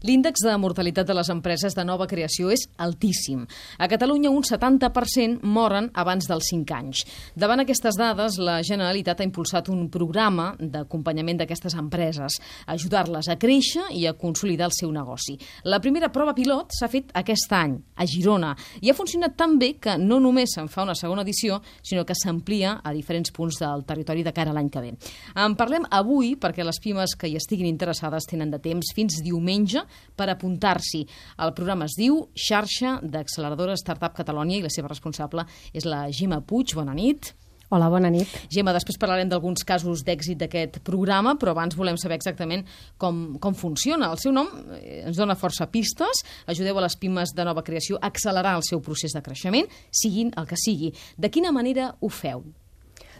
L'índex de mortalitat de les empreses de nova creació és altíssim. A Catalunya, un 70% moren abans dels 5 anys. Davant aquestes dades, la Generalitat ha impulsat un programa d'acompanyament d'aquestes empreses, ajudar-les a créixer i a consolidar el seu negoci. La primera prova pilot s'ha fet aquest any, a Girona, i ha funcionat tan bé que no només se'n fa una segona edició, sinó que s'amplia a diferents punts del territori de cara a l'any que ve. En parlem avui perquè les pimes que hi estiguin interessades tenen de temps fins diumenge per apuntar-s'hi. El programa es diu Xarxa d'Acceleradora Startup Catalonia i la seva responsable és la Gemma Puig. Bona nit. Hola, bona nit. Gemma, després parlarem d'alguns casos d'èxit d'aquest programa, però abans volem saber exactament com funciona. El seu nom ens dona força pistes. Ajudeu a les pimes de nova creació a accelerar el seu procés de creixement, siguin el que sigui. De quina manera ho feu?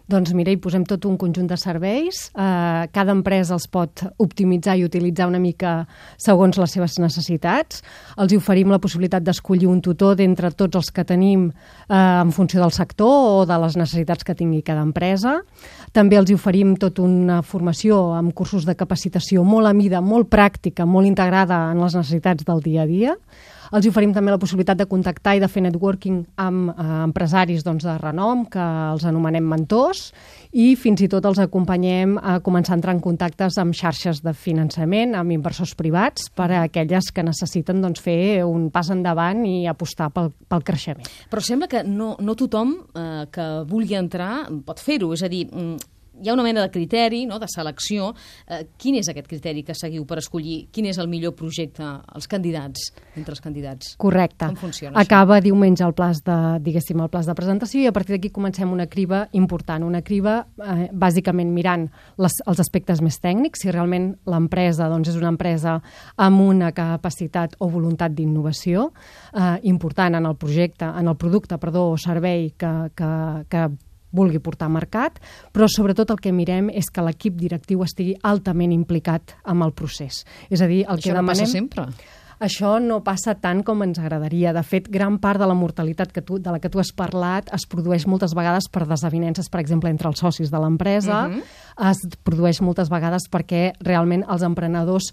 Doncs mira, hi posem tot un conjunt de serveis. Cada empresa els pot optimitzar i utilitzar una mica segons les seves necessitats. Els oferim la possibilitat d'escollir un tutor d'entre tots els que tenim en funció del sector o de les necessitats que tingui cada empresa. També els oferim tota una formació amb cursos de capacitació molt a mida, molt pràctica, molt integrada en les necessitats del dia a dia. Els oferim també la possibilitat de contactar i de fer networking amb empresaris de renom, que els anomenem mentors, i fins i tot els acompanyem a començar a entrar en contactes amb xarxes de finançament, amb inversors privats, per a aquelles que necessiten fer un pas endavant i apostar pel creixement. Però sembla que no tothom que vulgui entrar pot fer-ho, és a dir, hi ha una mena de criteri, de selecció. Quin és aquest criteri que seguiu per escollir quin és el millor projecte entre els candidats? Correcte. Com funciona Acaba diumenge el pla de presentació i a partir d'aquí comencem una criba important. Una criba bàsicament mirant els aspectes més tècnics, si realment l'empresa és una empresa amb una capacitat o voluntat d'innovació important en el producte o servei que vulgui portar a mercat, però sobretot el que mirem és que l'equip directiu estigui altament implicat amb el procés. És a dir, Això no passa sempre. Això no passa tant com ens agradaria. De fet, gran part de la mortalitat de la que tu has parlat es produeix moltes vegades per desavinences, per exemple, entre els socis de l'empresa. Es produeix moltes vegades perquè realment els emprenedors,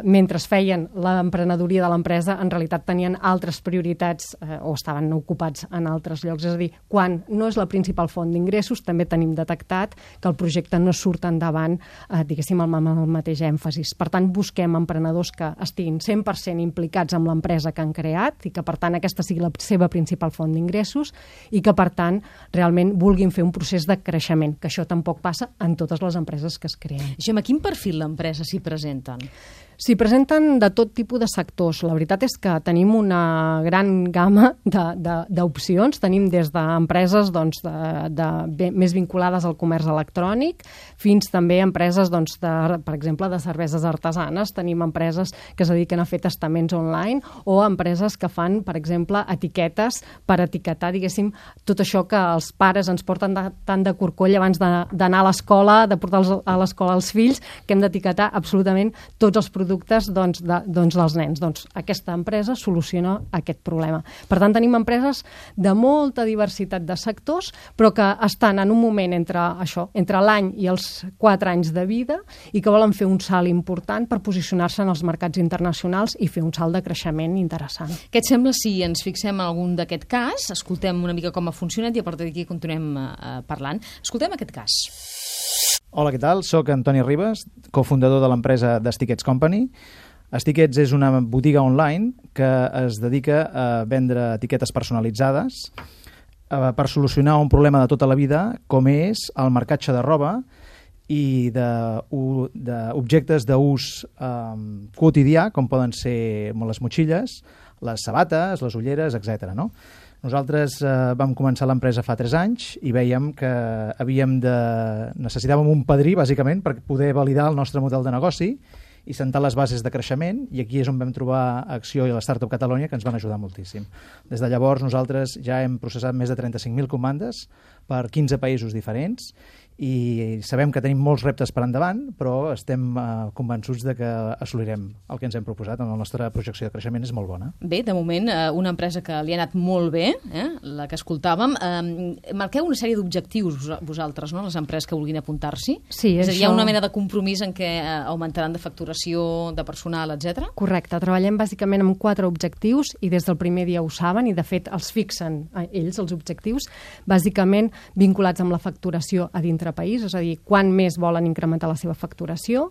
mentre feien l'emprenedoria de l'empresa, en realitat tenien altres prioritats o estaven ocupats en altres llocs. És a dir, quan no és la principal font d'ingressos, també tenim detectat que el projecte no surt endavant, diguéssim, amb el mateix èmfasis. Per tant, busquem emprenedors que estiguin 100% implicats amb l'empresa que han creat i que, per tant, aquesta sigui la seva principal font d'ingressos i que, per tant, realment vulguin fer un procés de creixement, que això tampoc passa en totes les empreses que es creen. Gemma, quin perfil d'empresa s'hi presenten? S'hi presenten de tot tipus de sectors. La veritat és que tenim una gran gamma d'opcions. Tenim des d'empreses més vinculades al comerç electrònic fins també empreses, per exemple, de cerveses artesanes. Tenim empreses que es dediquen a fer testaments online o empreses que fan, per exemple, etiquetes per etiquetar, diguéssim, tot això que els pares ens porten tant de corcoll abans d'anar a l'escola, de portar a l'escola els fills, que hem d'etiquetar absolutament tots els productes dels nens. Doncs aquesta empresa soluciona aquest problema. Per tant, tenim empreses de molta diversitat de sectors, però que estan en un moment entre l'any i els 4 anys de vida i que volen fer un salt important per posicionar-se en els mercats internacionals i fer un salt de creixement interessant. Què et sembla si ens fixem en algun d'aquest cas, escoltem una mica com ha funcionat i a partir d'aquí continuem parlant. Escoltem aquest cas. Hola, què tal? Soc Antoni Ribas, cofundador de l'empresa The Stickets Company. Stickets és una botiga online que es dedica a vendre etiquetes personalitzades per solucionar un problema de tota la vida, com és el marcatge de roba i d'objectes d'ús quotidià, com poden ser les motxilles, les sabates, les ulleres, etc. Nosaltres vam començar l'empresa fa 3 anys i vèiem que necessitàvem un padrí, bàsicament, per poder validar el nostre model de negoci i sentar les bases de creixement, i aquí és on vam trobar Acció i la Startup Catalonia, que ens van ajudar moltíssim. Des de llavors nosaltres ja hem processat més de 35.000 comandes per 15 països diferents i sabem que tenim molts reptes per endavant, però estem convençuts de que assolirem el que ens hem proposat. La nostra projecció de creixement és molt bona. Bé, de moment, una empresa que li ha anat molt bé, la que escoltàvem. Marqueu una sèrie d'objectius vosaltres, no?, les empreses que vulguin apuntar-s'hi? Sí, és a dir, hi ha una mena de compromís en què augmentaran de facturació, de personal, etc. Correcte, treballem bàsicament amb 4 objectius i des del primer dia ho saben i de fet els fixen ells, els objectius, bàsicament vinculats amb la facturació a dintre país, és a dir, quan més volen incrementar la seva facturació,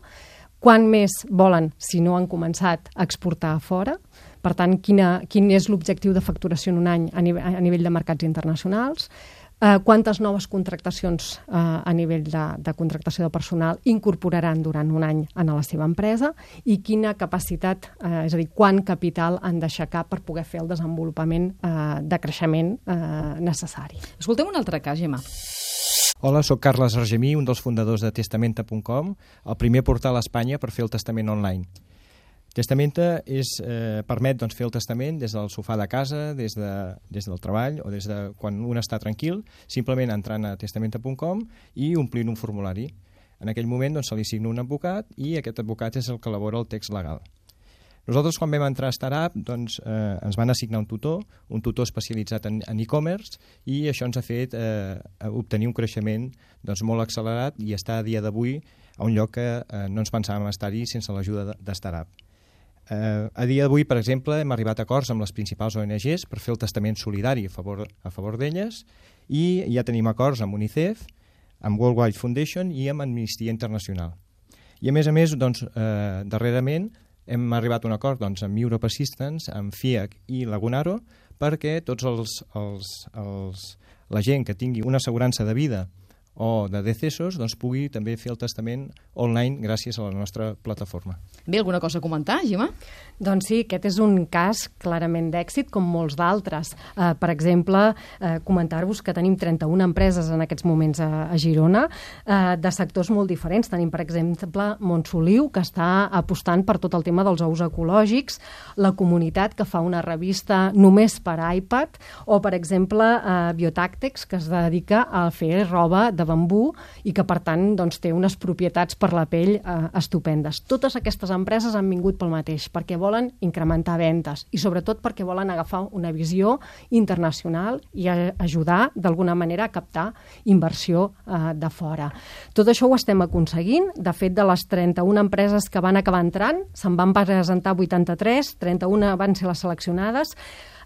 quan més volen, si no han començat, a exportar a fora. Per tant, quin és l'objectiu de facturació en un any a nivell de mercats internacionals, quantes noves contractacions a nivell de contractació de personal incorporaran durant un any a la seva empresa i quina capacitat, és a dir, quant capital han d'aixecar per poder fer el desenvolupament de creixement necessari. Escoltem un altre cas, Gemma. Hola, soc Carles Argemí, un dels fundadors de Testamenta.com, el primer portal a Espanya per fer el testament online. Testamenta permet fer el testament des del sofà de casa, des del treball o des de quan un està tranquil, simplement entrant a Testamenta.com i omplint un formulari. En aquell moment se li assigna un advocat i aquest advocat és el que elabora el text legal. Nosaltres, quan vam entrar a Startup, ens van assignar un tutor especialitzat en e-commerce, i això ens ha fet obtenir un creixement molt accelerat i estar a dia d'avui a un lloc que no ens pensàvem estar-hi sense l'ajuda de Startup. A dia d'avui, per exemple, hem arribat a acords amb les principals ONGs per fer el testament solidari a favor d'elles, i ja tenim acords amb UNICEF, amb World Wide Foundation i amb Amnistia Internacional. I a més, darrerament, hem arribat a un acord amb Europe Assistance, amb FIAC i Lagunaro, perquè tots la gent que tingui una assegurança de vida o de decessos pugui també fer el testament online gràcies a la nostra plataforma. Bé, alguna cosa a comentar, Gemma? Doncs sí, aquest és un cas clarament d'èxit, com molts d'altres. Per exemple, comentar-vos que tenim 31 empreses en aquests moments a Girona, de sectors molt diferents. Tenim, per exemple, Montsoliu, que està apostant per tot el tema dels ous ecològics, la Comunitat, que fa una revista només per iPad, o, per exemple, Biotàctex, que es dedica a fer roba de bambú i que, per tant, té unes propietats per la pell estupendes. Totes aquestes empreses han vingut pel mateix, perquè volen incrementar ventes i, sobretot, perquè volen agafar una visió internacional i ajudar, d'alguna manera, a captar inversió de fora. Tot això ho estem aconseguint. De fet, de les 31 empreses que van acabar entrant, se'n van presentar 83, 31 van ser les seleccionades.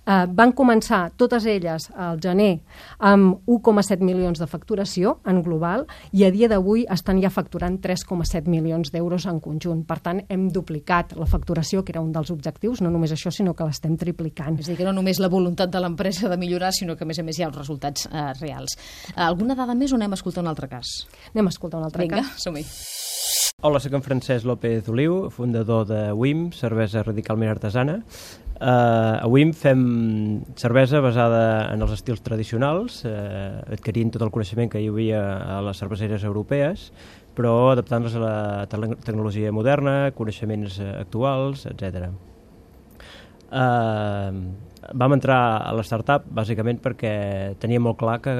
Van començar totes elles al gener amb 1,7 milions de facturació en global i a dia d'avui estan ja facturant 3,7 milions d'euros en conjunt. Per tant, hem duplicat la facturació, que era un dels objectius, no només això, sinó que l'estem triplicant. És a dir, que no només la voluntat de l'empresa de millorar, sinó que, a més hi ha els resultats reals. Alguna dada més o anem a escoltar un altre cas? Anem a escoltar un altre cas. Vinga, som-hi. Hola, soc en Francesc López Oliu, fundador de WIM, cervesa radicalment artesana. A WIM fem cervesa basada en els estils tradicionals, adquirint tot el coneixement que hi havia a les cerveseres europees, però adaptant-les a la tecnologia moderna, coneixements actuals, etc. Vam entrar a la startup bàsicament perquè teníem molt clar que,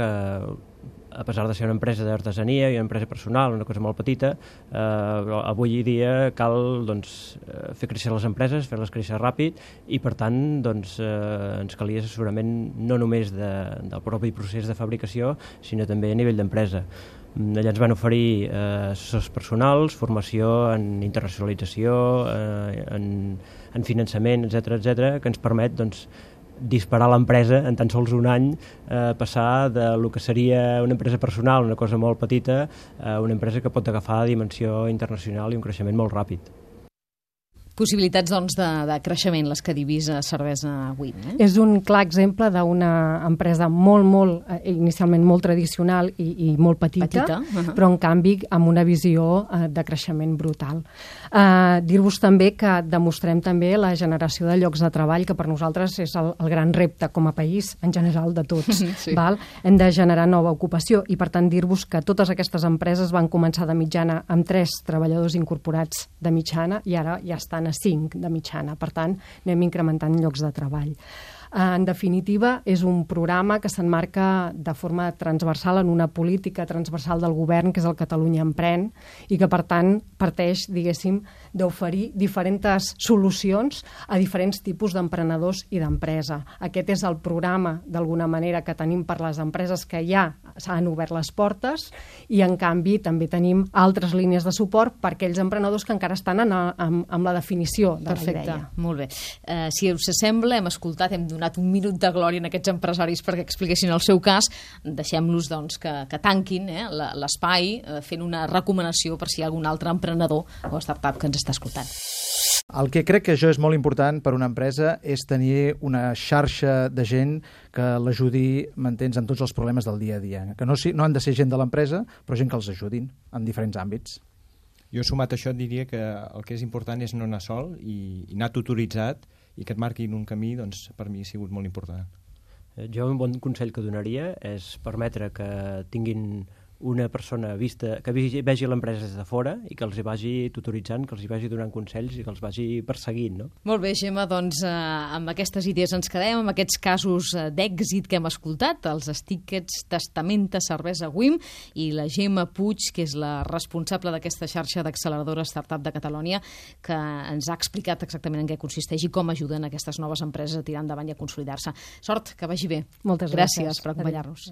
a pesar de ser una empresa d'artesania i una empresa personal, una cosa molt petita, avui dia cal fer créixer les empreses, fer-les créixer ràpid i, per tant, ens calia assessorament no només del propi procés de fabricació, sinó també a nivell d'empresa. Allà ens van oferir assessors personals, formació en internacionalització, en finançament, etc., que ens permet disparar l'empresa en tan sols un any, passar de lo que seria una empresa personal, una cosa molt petita, a una empresa que pot agafar dimensió internacional i un creixement molt ràpid. Possibilitats, de creixement, les que divisa Cervesa WIM. És un clar exemple d'una empresa inicialment molt tradicional i molt petita. Però en canvi amb una visió de creixement brutal. Dir-vos també que demostrem també la generació de llocs de treball, que per nosaltres és el gran repte com a país, en general de tots. Sí. Hem de generar nova ocupació i, per tant, dir-vos que totes aquestes empreses van començar de mitjana amb 3 treballadors incorporats de mitjana i ara ja estan a 5 de mitjana. Per tant, anem incrementant llocs de treball. En definitiva, és un programa que s'emmarca de forma transversal en una política transversal del govern, que és el Catalunya Emprèn, i que, per tant, parteix, diguéssim, d'oferir diferents solucions a diferents tipus d'emprenedors i d'empresa. Aquest és el programa, d'alguna manera, que tenim per les empreses que ja s'han obert les portes, i, en canvi, també tenim altres línies de suport per aquells emprenedors que encara estan amb la definició de la idea. Molt bé. Si us sembla, hem escoltat, hem donat un minut de glòria en aquests empresaris perquè expliquessin el seu cas. Deixem-los doncs, que tanquin l'espai fent una recomanació per si hi ha algun altre emprenedor o startup que ens està escoltant. El que crec que això és molt important per una empresa és tenir una xarxa de gent que l'ajudi, m'entens, en tots els problemes del dia a dia. Que no han de ser gent de l'empresa, però gent que els ajudin en diferents àmbits. Jo, sumat a això, et diria que el que és important és no anar sol i anar tutoritzat i que et marquin un camí, doncs, per mi ha sigut molt important. Jo un bon consell que donaria és permetre que tinguin una persona que vegi l'empresa des de fora i que els hi vagi tutoritzant, que els hi vagi donant consells i que els vagi perseguint, no? Molt bé, Gemma, doncs amb aquestes idees ens quedem, amb aquests casos d'èxit que hem escoltat, els Stickets, Testamenta, Cervesa Wim, i la Gemma Puig, que és la responsable d'aquesta xarxa d'acceleradora startup de Catalunya, que ens ha explicat exactament en què consisteix i com ajuden aquestes noves empreses a tirar endavant i a consolidar-se. Sort, que vagi bé. Moltes gràcies per acompanyar-nos.